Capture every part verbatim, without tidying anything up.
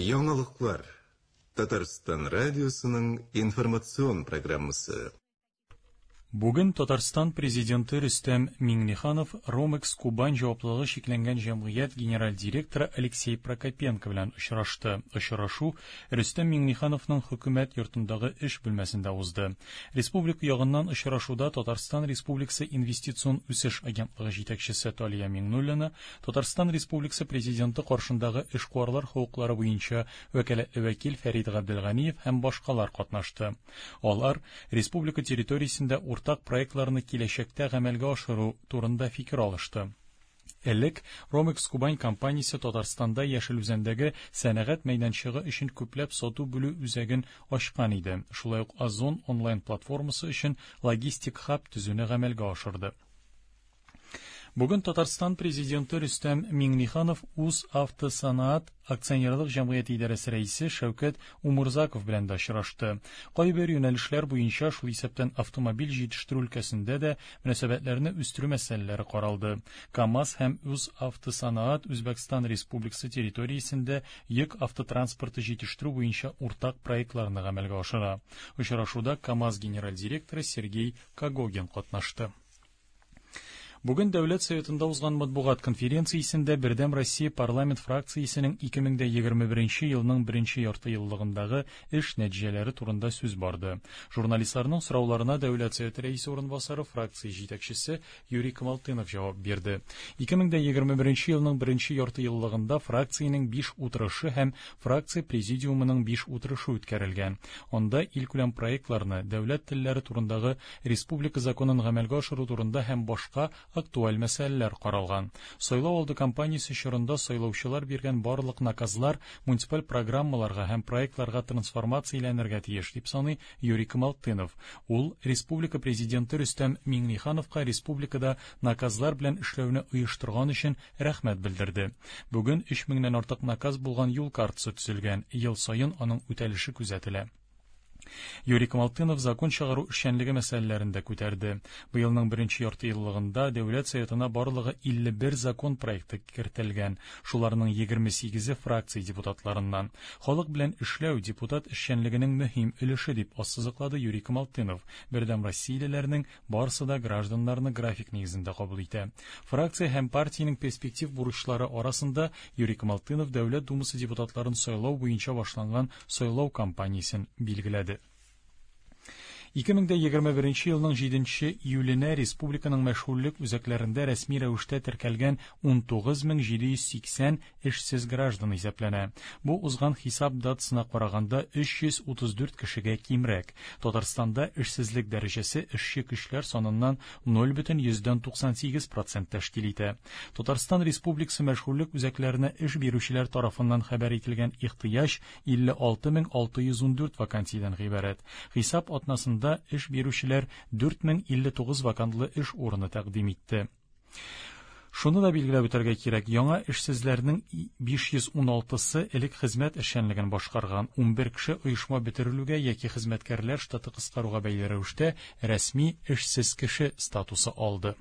Яңалыклар. Татарстан радиосының информацион программасы. Бүген Татарстан президенты Рөстәм Миңнеханов Ромекс Кубань җаваплылыгы чикләнгән җәмгыять генераль директоры Алексей Прокопенко белән очрашты. Очрашу Рөстәм Миңнехановның хөкүмәт йортындагы эш бүлмәсендә узды. Республика ягыннан очрашуда Татарстан Республикасы Инвестицион үсеш агентлыгы җитәкчесе Талия Миңнуллина, Татарстан Республикасы президенты каршындагы эшкуарлар хокуклары буенча вәкаләтле вәкил Фәрид Габделганиев һәм башкалар катнашты. Алар республика территориясендә уртак проектларны киләчәктә гамәлгә ашыру турында фикер алышты. Элек Ромекс Кубань компаниясе Татарстанда Яшел Үзәндәге сәнәгать мәйданчыгы өчен күпләп сату бүлү үзәген ачкан иде. Шулай ук Озон онлайн платформасы өчен логистик хаб төзүне гамәлгә ашырды. Бүген Татарстан президенты Рөстәм Миңнеханов Үз автосанаат акционерлык җәмгыяте идарәсе рәисе Шәүкәт Умурзаков белән дә очрашты. Кайбер юнәлешләр буенча, шул исәптән автомобиль җитештерү өлкәсендә дә мөнәсәбәтләрне үстерү мәсьәләләре каралды. КАМАЗ һәм Үз автосанаат Үзбәкстан Республикасы территориясендә йөк автотранспорты җитештерү буенча уртак проектларны гамәлгә ашыра. Очрашуда КАМАЗ генераль директоры Сергей Когогин катнашты. Бүген Дәүләт Советында узган матбугат конференциясендә Бердәм Россия парламент фракциясенең ике мең егерме беренче елның беренче ярты еллыгындагы эш нәтиҗәләре турында сүз барды. Журналистларның сорауларына Дәүләт Советы рәисе урынбасары фракция җитәкчесе Юрий Камалтынов җавап бирде. ике мең егерме беренче елның беренче ярты еллыгында фракциянең биш утырышы һәм фракция президиумының биш утырышы үткәрелгән. Анда илкүләм проектларны, дәүләт телләре турындагы республика законын гамәлгә ашыру турында һәм башка актуаль мәсьәләләр каралган. Сайлау алды кампаниясе чорында сайлаучылар биргән барлык наказлар муниципаль программаларга һәм проектларга трансформацияләнергә тиеш, дип саный Юрий Камалтынов. Ул республика президенты Рөстәм Миңнехановка республикада наказлар белән эшләүне оештырган өчен рәхмәт белдерде. Бүген өч меңнән артык наказ булган юл картасы төзелгән. Ел саен аның үтәлеше күзәтелә. Юрий Камалтынов закон чыгару эшчәнлеге мәсьәләләрен дә күтәрде. Быелның беренче ярты еллыгында Дәүләт Советына барлыгы илле бер закон проекты кертелгән. Шуларның егерме сигезе фракция депутатларыннан. Халык белән эшләү депутат эшчәнлегенең мөһим өлеше, дип ассызыклады Юрий Камалтынов. Бердәм Россиялеләрнең барысы да гражданнарны график нигезендә кабул итә. Фракция һәм партиянең перспектив бурычлары арасында Юрий Камалтынов Дәүләт Думасы депутатларын сайлау буенча башланган сайлау кампаниясен билгеләде. ике мең егерме беренче елның җиденче июленә республиканың мәшгульлек үзәкләрендә рәсми рәвештә теркәлгән ун тугыз мең җиде йөз сиксән эшсез граждан исәпләнә. Бу узган хисап датасына караганда өч йөз утыз дүрт кешегә кимрәк. Татарстанда эшсезлек дәрәҗәсе эшче көчләр саныннан ноль бөтен йөздән туксан сигез процент тәшкил итә. Татарстан Республикасы мәшгульлек үзәкләренә эш бирүчеләр тарафыннан хәбәр ителгән ихтыяҗ илле алты мең алты йөз ун дүрт вакансиядән гыйбарәт. Хисап атнасында эш бирүчеләр дүрт мең илле тугыз вакантлы эш урыны тәкъдим итте. Шуны да билгеләп үтәргә кирәк, яңа эшсезләрнең биш йөз ун алтысы элек хезмәт эшчәнлеген башкарган, ун бер кеше оешма бетерелүгә яки хезмәткәрләр штаты кыскаруга бәйле рәвештә рәсми эшсез кеше статусы алды.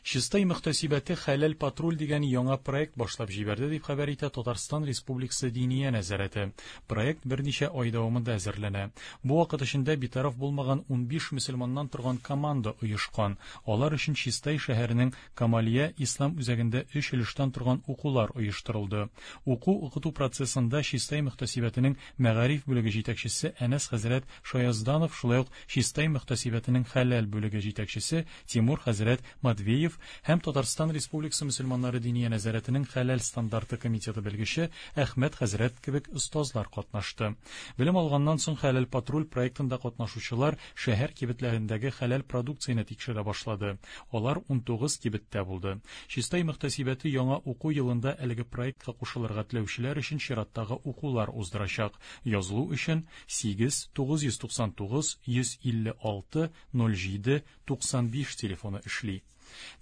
Чистай мөхтәсибәте Хәләл патруль дигән яңа проект башлап җибәрде, дип хәбәр итә Татарстан Республикасы Диния нәзарәте. Проект берничә ай дәвамында әзерләнә. Бу вакыт эчендә битараф булмаган ун биш мөселманнан торган команда оешкан. Алар өчен Чистай шәһәренең Камалия Ислам үзәгендә өч өлештән торган укулар оештырылды. Уку-укыту процессында Чистай мөхтәсибәтенең мәгариф бүлеге җитәкчесе Әнәс хәзрәт Шаязданов, шулай ук Чистай мөхтәсибәтенең хәләл бүлеге җитәкчесе Тимур хәзрәт Матвеев һәм Татарстан Республикасы мөселманнары Диния нәзарәтенең хәләл стандарты комитеты белгече Әхмәт хәзрәт кебек остазлар катнашты. Белем алганнан соң Хәләл патруль проектында катнашучылар шәһәр кибетләрендәге хәләл продукцияне тикшерә башлады. Алар ун тугыз кибеттә булды. Чистай мөхтәсибәте яңа уку елында әлеге проектка кушылырга теләүчеләр өчен чираттагы укулар уздырачак. Язылу өчен сигез тугыз йөз туксан тугыз йөз илле алты ноль җиде туксан биш телефоны эшли.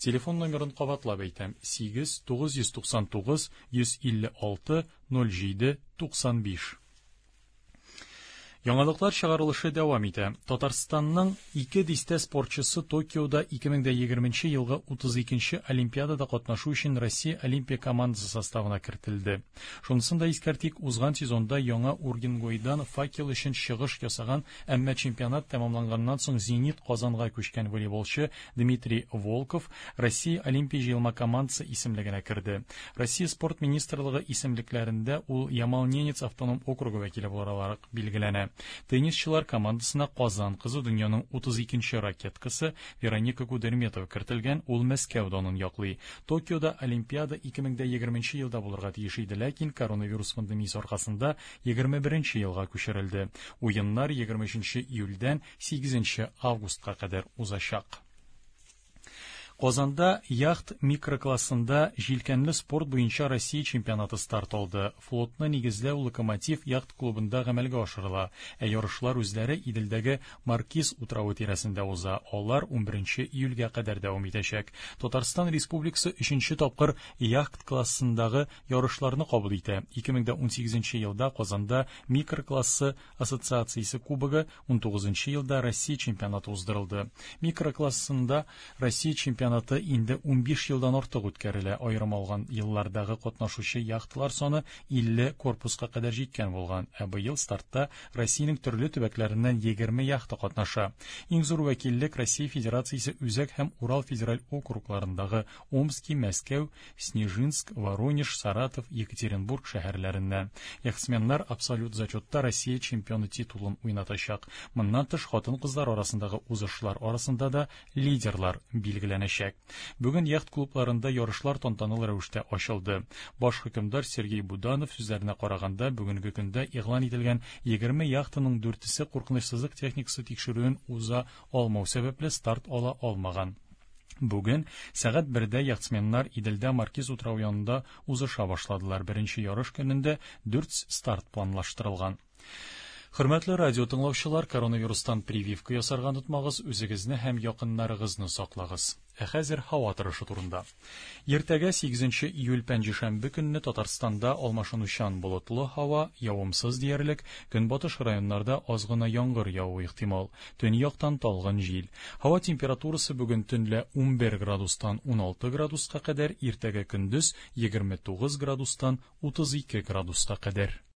Телефон номерын кабатлап әйтәм: сигез тугыз йөз туксан тугыз йөз илле алты ноль җиде туксан биш. Яңалыклар чыгарылышы дәвам итә. Татарстанның ике дистә спортчысы Токиода ике мең егерменче елгы утыз икенче Олимпиадада катнашу өчен Россия Олимпия командасы составына кертелде. Шунысын да искәртик, узган сезонда яңа Ургенгойдан факел өчен чыгыш ясаган, әмма чемпионат тәмамланганнан соң Зенит Казанга күчкән волейболчы Дмитрий Волков Россия Олимпия җыелма командасы исемлегенә керде. Россия спорт министрлыгы исемлекләрендә ул Ямал-Ненец автоном округы вәкиле буларак билгеләнә. Теннисчылар командасына Казан кызы дөньяның утыз икенче ракеткасы Вероника Кудерметова кертелгән, ул Мәскәү данын яклый. Токиода Олимпиада ике мең егерменче елда булырга тиеш иде, ләкин коронавирус пандемиясе аркасында егерме беренче елга күчерелде. Уеннар егерме өченче июльдән сигезенче августка кадәр узачак. Казанда яхт микроклассында җилкәнле спорт буенча Россия чемпионаты старт алды. Флотны нигезләү Локомотив яхт клубында гамәлгә ашырыла. Ә ярышлар үзләре Иделдәге Маркиз утравы тирәсендә уза. Алар унберенче июльгә кадәр дәвам итәчәк. Татарстан Республикасы өченче тапкыр яхт классындагы ярышларны кабул итә. ике мең унсигезенче елда Казанда микроклассы ассоциациясе кубогы, унтугызынчы елда Россия чемпионаты уздырылды. Микроклассында Россия чемпионаты инде унбиш елдан артык үткәрелә. Аерым алган еллардагы катнашучы яхталар саны илле корпуска кадәр җиткән булган. Ә быел стартта Россиянең төрле төбәкләреннән егерме яхта катнаша. Иң зур вәкиллек Россия Федерациясе Үзәк һәм Урал федераль округларындагы Омски, Мәскәү, Снежинск, Воронеж, Саратов, Екатеринбург шәһәрләреннән. Яхтсменнар абсолют зачетта Россия чемпионы титулын уйнатачак. Моннан тыш хатын-кызлар арасындагы узышлар арасында да лидерлар билгеләнәчәк. Бүген яхт клубларында ярышлар тантаналы рәвештә ачылды. Баш хөкемдар Сергей Буданов сүзләренә караганда, бүгенге көндә игълан ителгән егерме яхтаның дүртесе куркынычсызлык техникасы тикшерүен уза алмау сәбәпле старт ала алмаган. Бүген сәгать бердә яхтсменнар Иделдә Маркиз утравы янында узыша башладылар. Беренче ярыш көнендә дүрт старт планлаштырылган. Хөрмәтле радио тыңлаучылар, коронавирустан прививка ясарга онытмагыз, үзегезне һәм якыннарыгызны саклагыз. Ә хәзер һава торышы турында. Иртәгә сигезенче июль пәнҗешәмбе көнне Татарстанда алмашынучан болытлы һава, явымсыз диярлек, көнбатыш районнарда аз гына яңгыр явуы ихтимал. Төньяктан талгын җил. Һава температурасы бүген төнлә унбер градустан уналты градуска кадәр, иртәгә көндез егерме тугыз градустан утыз ике градуска кадәр.